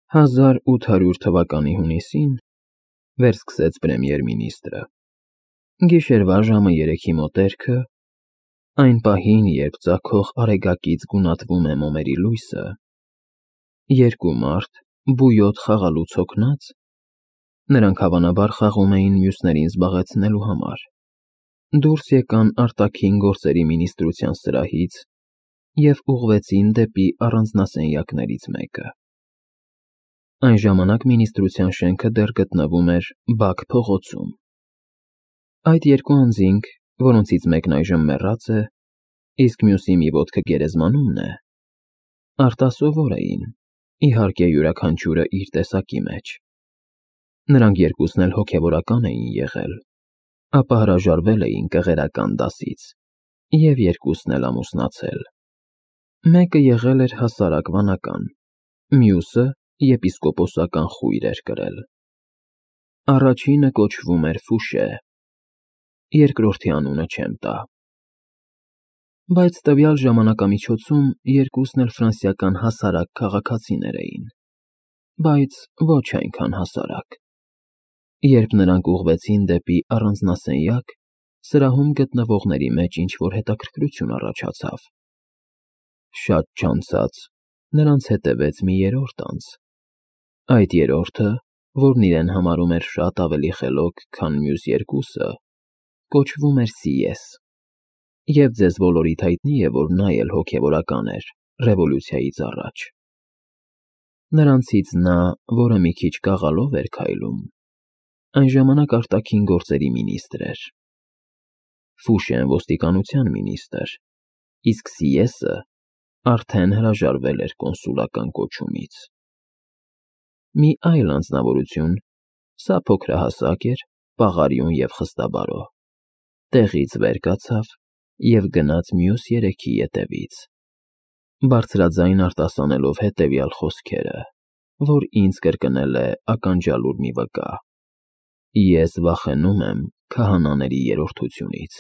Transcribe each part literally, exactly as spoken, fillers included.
Հազար ութ հարյուր թվականի հունիսին վերսկսեց պրեմիեր֊մինիստրը։ Գիշերվա ժամը երեքի մոտերքը, այն պահին, երբ ծագող արեգակից գունատվում է մոմերի լույսը, երկու մարդ, բույոտ խաղալուց հոգնած, նրանք հավանաբար խաղում էին մյուսներին զբաղեցնելու համար, դուրս եկան արտաքին գործերի մինիստրության սրահից և ուղղվեցին դեպի առանձնասենյակներից մեկը։ Այն ժամանակ մինիստրության շենքը դեռ գտնվում էր Բաք փողոցում։ Այդ երկու անձինք, որոնցից մեկն այժմ մեռած է, իսկ մյուսի մի ոտքը գերեզմանումն է, արտասովոր էին, իհարկե յուրաքանչյուրը իր տեսակի մեջ։ Նրանք երկուսն էլ հոգևորական էին եղել, ապա հրաժարվել էին կղերական դասից և երկուսն էլ ամուսնացել։ Մեկը եղել էր հասարակ վանական, մյուսը եպիսկոպոսական խույր էր կրել։ Առաջինը կոչվում էր Ֆուշե, երկրորդի անունը չեմ տա։ Բայց տվյալ ժամանակամիջոցում երկուսն էլ ֆրանսիական հասարակ քաղաքացիներ էին, բայց ոչ այնքան հասարակ։ Երբ նրանք ուղղվեցին դեպի առանձնասենյակ, սրահում գտնվողների մեջ ինչ-որ հետաքրքրություն առաջացավ։ Շատ չանցած նրանց հետևեց մի երրորդ անձ։ Այդ երրորդը, որն իրեն համարում էր շատ ավելի խելոք, քան մյուս երկուսը, կոչվում էր Սիես, և ձեզ բոլորիդ հայտնի է, որ նա էլ հոգևորական էր ռևոլյուցիայից առաջ։ Նրանցից նա, որը մի քիչ կաղալով էր քայլում, այն ժամանակ արտաքին գործերի մինիստր էր։ Ֆուշեն ոստիկանության մինիստր, իսկ Սիեսը արդեն հրաժարվել էր կոնսուլական կոչումից։ Մի այլ անձնավորություն, սա փոքրահասակ էր, պաղարիուն և խստաբարո, տեղից վեր կացավ և գնաց մյուս երեքի ետևից, բարձրաձայն արտասանելով հետևյալ խոսքերը, որ ինձ կրկնել է ականջալուր մի վկա. «Ես վախենում եմ քահանաների երրորդությունից»։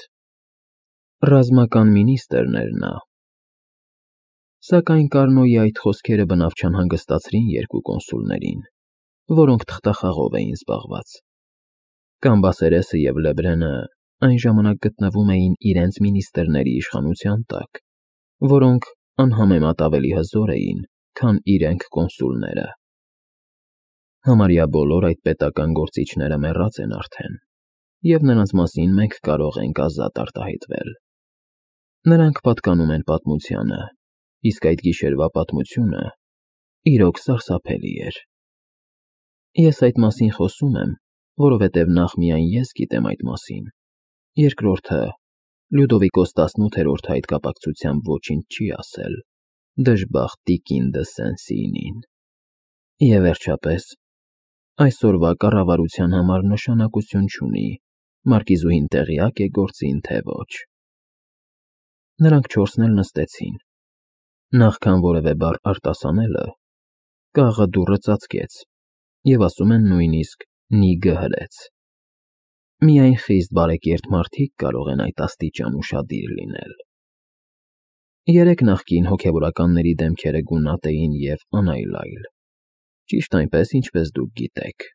Ռազմական մինիստրն էր նա։ Սակայն Կարնոյի այդ խոսքերը բնավ չանհանգստացրին երկու կոնսուլներին, որոնք թղթախաղով էին զբաղված։ Կամբասերեսը և Լեբրենը այն ժամանակ գտնվում էին իրենց մինիստրների իշխանության տակ, որոնք անհամեմատ ավելի հզոր էին, քան իրենք կոնսուլները։ Համարյա բոլոր այդ պետական գործիչները մեռած են արդեն, և նրանց մասին մենք կարող ենք ազատ արտահայտվել։ Նրանք պատկանում են պատմությանը, իսկ այդ գիշերվա պատմությունը իրոք սարսափելի էր։ Ես այդ մասին խոսում եմ, որովհետև նախ միայն ես գիտեմ այդ մասին, երկրորդը Լյուդովիկոս տասնութերորդը այդ կապակցությամբ ոչինչ չի ասել, դժբախտ տիկին դը Սեն֊Սինին։ Եվ վերջապես, այսօրվա կառավարության համար նշանակություն չունի մարկիզուհին տեղյա՞կ է գործին, թե ոչ։ Նրանք չորսն էլ նստեցին։ Նախքան որևէ բառ արտասանելը, կաղը դուռը ծածկեց, և ասում են նույնիսկ նիգը հրեց։ Միայն խիստ բարեկիրթ մարդիկ կարող են այդ աստիճան ուշադիր լինել։ Երեք նախկին հոգևորականների դեմքերը գունատ էին և անայլայլ, ճիշտ այնպես, ինչպես դուք գիտեք։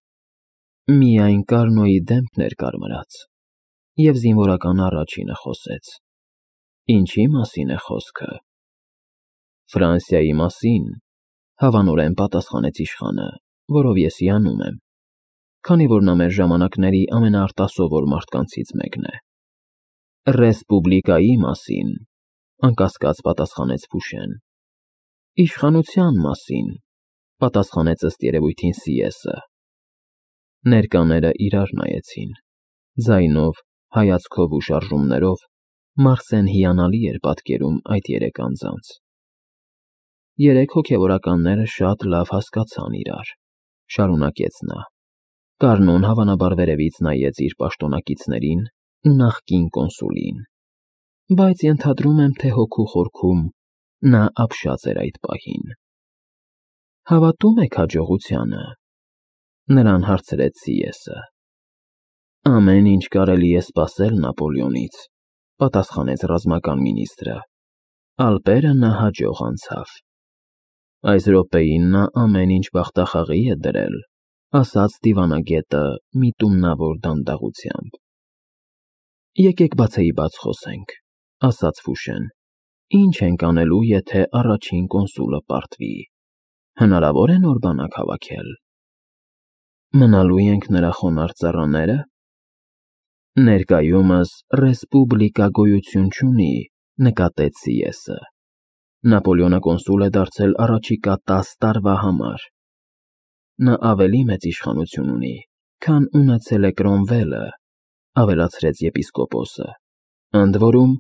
Միայն Կարնոյի դեմքն էր կարմրած, և զինվորական առաջինը խոսեց. «Ինչի մասին է խոսքը»։ «Ֆրանսիայի մասին», հավանորեն պատասխանեց իշխանը, որով ես հիանում եմ, քանի որ նա մեր ժամանակների ամենաարտասովոր մարդկանցից մեկն է։ «Ռեսպուբլիկայի մասին», անկասկած պատասխանեց Ֆուշեն։ «Իշխանության մասին», պատասխանեց ըստ երևույթին Սիեսը։ Ներկաները իրար նայեցին, ձայնով, հայացքով ու շարժումներով Մարսեն հիանալի էր պատկերում այդ երեք անձանց։ Երեք հոգևորականները շատ լավ հասկացան իրար, շարունակեց նա։ Կարնոն հավանաբար վերևից նայեց իր պաշտոնակիցներին ու նախկին կոնսուլին, բայց ենթադրում եմ, թե հոգու խորքում նա ապշած էր այդ պահին։ «Հավատո՞ւմ եք հաջողությանը», նրան հարցրեց Սիեսը։ «Ամեն ինչ կարելի է սպասել Նապոլեոնից», պատասխանեց ռազմական մինիստրը։ «Ալպերը նա հաջող անցավ»։ Այս րոպեին նա ամեն ինչ բախտախաղի է դրել, ասաց դիվանագետը միտումնավոր դանդաղությամբ։ Եկեք բացեի բաց խոսենք, ասաց Ֆուշեն։ Ինչ ենք անելու, եթե առաջին կոնսուլը պարտվի։ Հնարավոր է նոր բանակ հավաքել։ Մնալու ենք նրա խոնարհ ծառաները։ Ներկայումս ռեսպուբլիկա գոյություն չունի, նկատեց Սի-Էսը։ Նապոլեոնը կոնսուլ է դարձել առաջիկա տասը տարվա համար։ Նա ավելի մեծ իշխանություն ունի, քան ունեցել է Կրոմվելը, ավելացրեց եպիսկոպոսը։ Ընդ որում,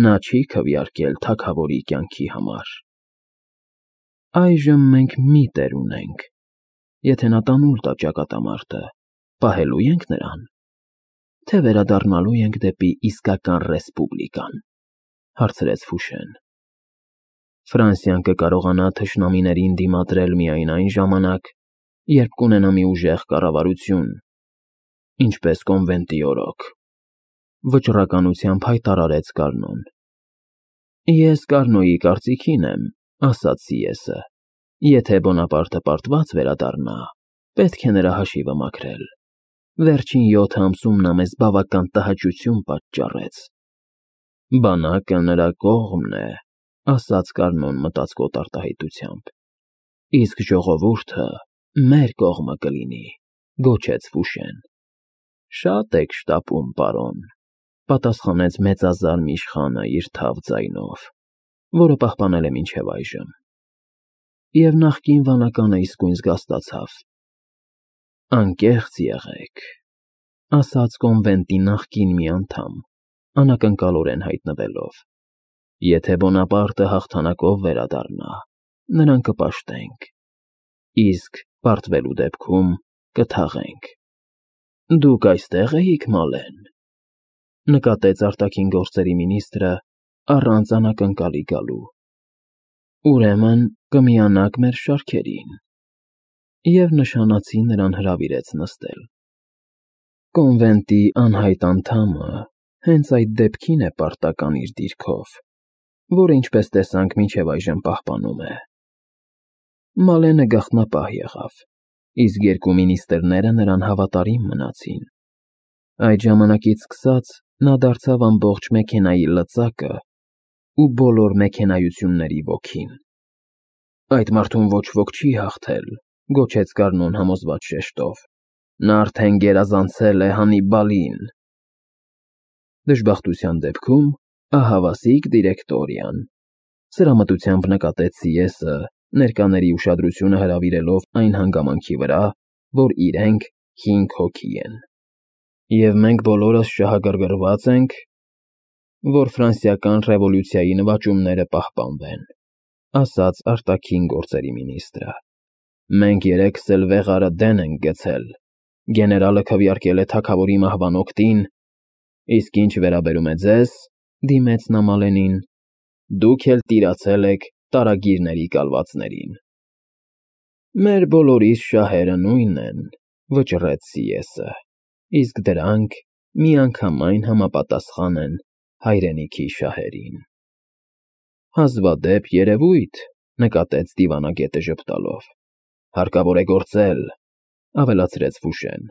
նա չի քվեարկել թագավորի կյանքի համար։ Այժմ մենք մի տեր ունենք։ Եթե նա տանուլ տա ճակատամարտը, պահելու ենք նրան, թե վերադառնալու ենք դեպի իսկական ռեսպուբլիկան, հարցրեց Ֆուշեն։ Ֆրանսիան կկարողանա թշնամիներին դիմադրել միայն այն ժամանակ, երբ կունենա մի ուժեղ կառավարություն, ինչպես կոնվենտի օրոք, վճռականությամբ հայտարարեց Կարնոն։ Ես Կարնոյի կարծիքին եմ, ասաց Սի-Էսը։ Եթե Բոնապարտը պարտված վերադառնա, պետք է նրա հաշիվը մաքրել։ Վերջին յոթ ամսում նա մեզ բավական տհաճություն պատճառեց։ Բանակը նրա կողմն է, ասաց Կարնոն մտածկոտ արտահայտությամբ։ Իսկ ժողովուրդը մեր կողմը կլինի, գոչեց Ֆուշեն։ Շատ եք շտապում, պարոն, պատասխանեց մեծազարմ իշխանը իր թավ ձայնով, որը պահպանել է մինչև այժմ։ Եվ նախկին վանականը իսկույն զգաստացավ։ Անկեղծ եղեք, ասաց կոնվենտի նախկին մի անդամ, անակնկալորեն հայտնվելով։ Եթե Բոնապարտը հաղթանակով վերադառնա, նրան կպաշտենք, իսկ պարտվելու դեպքում կթաղենք։ Դուք այստեղ էիք, Մալեն, նկատեց արտաքին գործերի մինիստրը առանց անակնկալի գալու։ Ուրեմն կմիանաք մեր շարքերին։ Եվ նշանացի նրան հրավիրեց նստել։ Կոնվենտի անհայտ անդամը հենց այդ դեպքին է պարտական իր դիրքով, որը, ինչպես տեսանք, մինչև այժմ պահպանում է։ Մալենը գաղտնապահ եղավ, իսկ երկու մինիստրները նրան հավատարիմ մնացին։ Այդ ժամանակից սկսած նա դարձավ ամբողջ մեքենայի լծակը ու բոլոր մեքենայությունների ոգին։ Այդ մարդուն ոչ ոք չի հաղթել, գոչեց Կարնոն համոզված շեշտով։ Նա արդեն գերազանցել է Հանիբալին։ Դժբախտության դեպքում ահավասիկ դիրեկտորիան, սրամտությամբ նկատեց Սի-Էսը, ներկաների ուշադրությունը հրավիրելով այն հանգամանքի վրա, որ իրենք հինգ հոգի են։ Եվ մենք բոլորս շահագրգռված ենք, որ ֆրանսիական ռևոլյուցիայի նվաճումները պահպանվեն, ասաց արտաքին գործերի մինիստրը։ Մենք երեքս էլ վեղարը դեն ենք գցել, գեներալը քվեարկել է թագավորի մահվան օգտին, իսկ ինչ վերաբերում է ձեզ, դիմեց նա Մալենին, դուք էլ տիրացել եք տարագիրների կալվածներին։ Մեր բոլորիս շահերը նույնն են, վճռեց Սի-Էսը, իսկ դրանք միանգամայն համապատասխան են հայրենիքի շահերին։ Հազվադեպ երևույթ, նկատեց դիվանագետը ժպտալով։ Հարկավոր է գործել, ավելացրեց Ֆուշեն։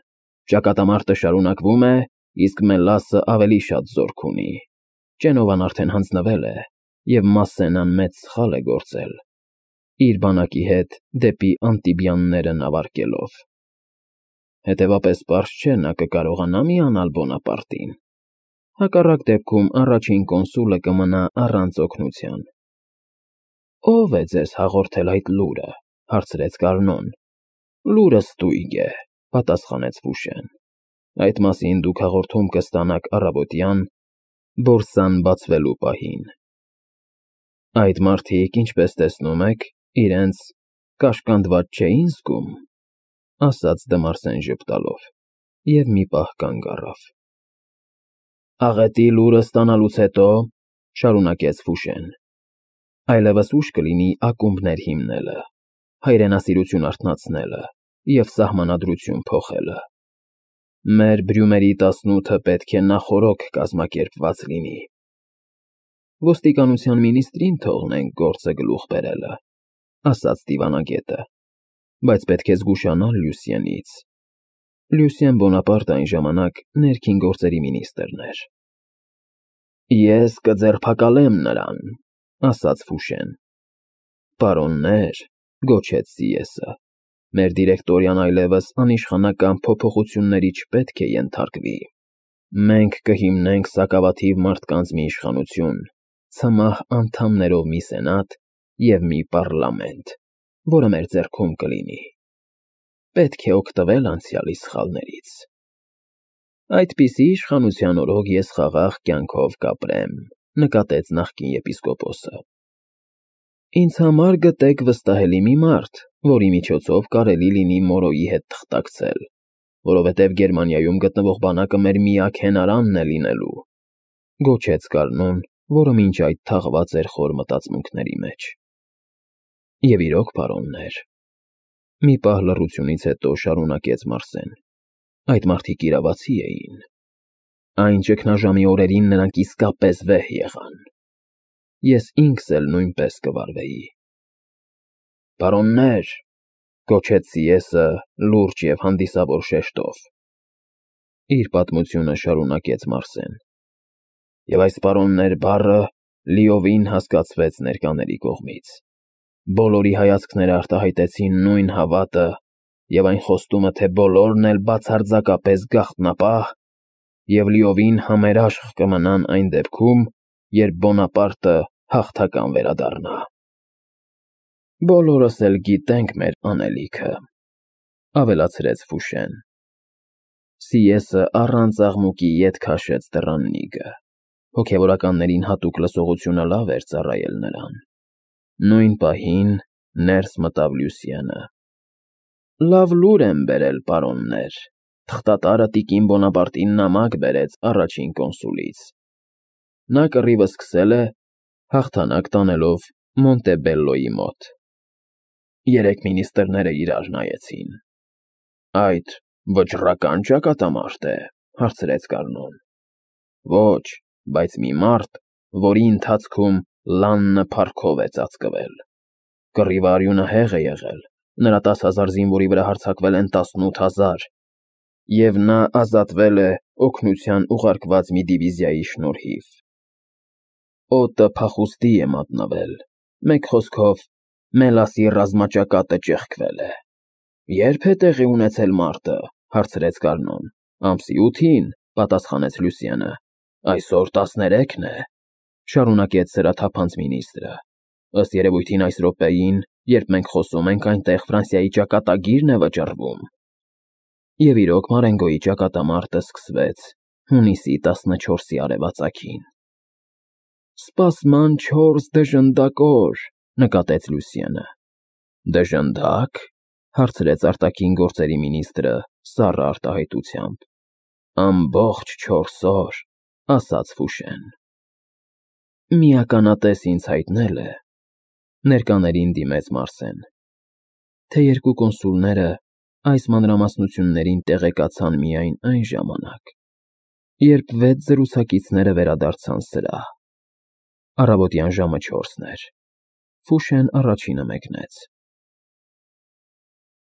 Ճակատամարտը շարունակվում է, իսկ Մելասը ավելի շատ զորք ունի։ Ճենովան արդեն հանձնվել է, և Մասսենան մեծ սխալ է գործել, իր բանակի հետ դեպի Անտիբիանները նավարկելով։ Հետևապես պարզ չէ նա կկարողանա միանալ Բոնապարտին։ Հակառակ դեպքում առաջին կոնսուլը կմնա առանց օգնության։ Ո՞վ է ձեզ հաղորդել այդ լուրը, հարցրեց Կարնոն։ Լուրը ստույգ է, պատասխանեց Ֆուշեն։ Այդ մասին դուք հաղորդում կստանաք առավոտյան բորսան բացվելու պահին։ Այդ մարդիկ, ինչպես տեսնում եք, իրենց կաշկանդված չէին զգում, ասաց Դմարսեն ժպտալով, և մի պահ կանգ առավ։ Աղետի լուրը ստանալուց հետո, շարունակեց Ֆուշեն, այլևս ուշ կլինի ակումբներ հիմնելը, հայրենասիրություն արթնացնելը և սահմանադրություն փոխելը։ Մեր բրյումերի տասնութը պետք է նախօրոք կազմակերպված լինի։ Ոստիկանության մինիստրին թողնենք գործը գլուխ բերելը։ ասաց դիվանագետը, բայց պետք է զգուշանալ Լյուսիենից։ Լյուսիեն Բոնապարտը այն ժամանակ ներքին գործերի մինիստրն էր։ Ես կձերբակալեմ նրան, ասաց Ֆուշեն։ Պարոններ, գոչեց Սիեսը, մեր դիրեկտորիան այլևս անիշխանական փոփոխությունների չպետք է ենթարկվի։ Մենք կհիմնենք սակավաթիվ մարդկանց մի իշխանություն, ցմահ անդամներով մի սենատ և մի պառլամենտ, որը մեր ձեռքում կլինի։ Պետք է օգտվել անցյալի սխալներից։ Այդպիսի իշխանության օրոք ես խաղաղ կյանքով կապրեմ, նկատեց նախկին եպիսկոպոսը։ Ինձ համար գտեք վստահելի մի մարդ, որի միջոցով կարելի լինի Մորոյի հետ թղթակցել, որովհետև Գերմանիայում գտնվող բանակը մեր միակ հենարանն է լինելու, գոչեց Կառնոն, որը մինչ այդ թաղված էր խոր մտածմունքների մեջ։ Եվ իրոք, պարոններ, մի պահ լռությունից հետո շարունակեց Մարսեն, այդ մարդիկ իրավացի էին։ Այն ճգնաժամի օրերին նրանք իսկապես վեհ եղան։ Ես ինքս էլ նույնպես կվարվեի։ Պարոններ, գոչեց Սիեսը լուրջ և հանդիսավոր շեշտով։ Իր պատմությունը շարունակեց Մարսեն։ Եվ այս պարոններ բառը լիովին հասկացվեց ներկաների կողմից։ Բոլորի հայացքները արտահայտեցին նույն հավատը և այն խոստումը, թե բոլորն էլ բացարձակապես գաղտնապահ և լիովին համերաշխ կմնան այն դեպքում, երբ Բոնապարտը հաղթական վերադառնա։ Բոլորս էլ գիտենք մեր անելիքը, ավելացրեց Ֆուշեն։ Սիեսը առանց աղմուկի ետ քաշեց դռան նիգը։ Հոգևորականներին հատուկ լսողությունը լավ էր ծառայել նրան։ Նույն պահին ներս մտավ Լյուսիենը։ Լավ լուր եմ բերել, պարոններ, թղթատարը տիկին Բոնապարտին նամակ բերեց առաջին կոնսուլից։ Նա կռիվը սկսել է, հաղթանակ տանելով Մոնտեբելլոյի մոտ։ Երեք մինիստրները իրար նայեցին։ Այդ վճռական ճակատամարտ է, հարցրեց Կառնոն։ Ոչ, բայց մի մարդ, որի ընթացքում լաննը փառքով է ծածկվել։ Կռիվը արյունահեղ է եղել, նրա տասը հազար զինվորի վրա հարձակվել են տասնութ հազար, և նա ազատվել է օգնության ուղարկված մի դիվիզիայի շնորհիվ։ Օդը փախուստի է մատնվել, մեկ խոսքով, Մելասի ռազմաճակատը ճեղքվել է։ Ե՞րբ է տեղի ունեցել մարտը, հարցրեց Կառնոն։ Ամսի ութին, պատասխանեց Լյուսիենը։ Այսօր տասներեքն է, շարունակեց սրաթափանց մինիստրը։ Ըստ երևույթին այս րոպեին, երբ մենք խոսում ենք, այնտեղ Ֆրանսիայի ճակատագիրն է վճռվում։ Եվ իրոք Մարենգոյի ճակատամարտը սկսվեց հունիսի տասնչորսի արևածագին։ Սպասման չորս դժնդակ օր, նկատեց Լյուսիենը։ Դժնդա՞կ, հարցրեց արտաքին գործերի մինիստրը սառը արտահայտությամբ։ Ամբողջ չորս օր, ասաց Ֆուշեն։ Միականատես ինձ հայտնել է, ներկաներին դիմեց Մարսեն, թե երկու կոնսուլները այս մանրամասնություններին տեղեկացան միայն այն ժամանակ, երբ վեց զրուցակիցները վերադարձան սրահ։ Առավոտյան ժամը չորսն էր։ Ֆուշեն առաջինը մեկնեց։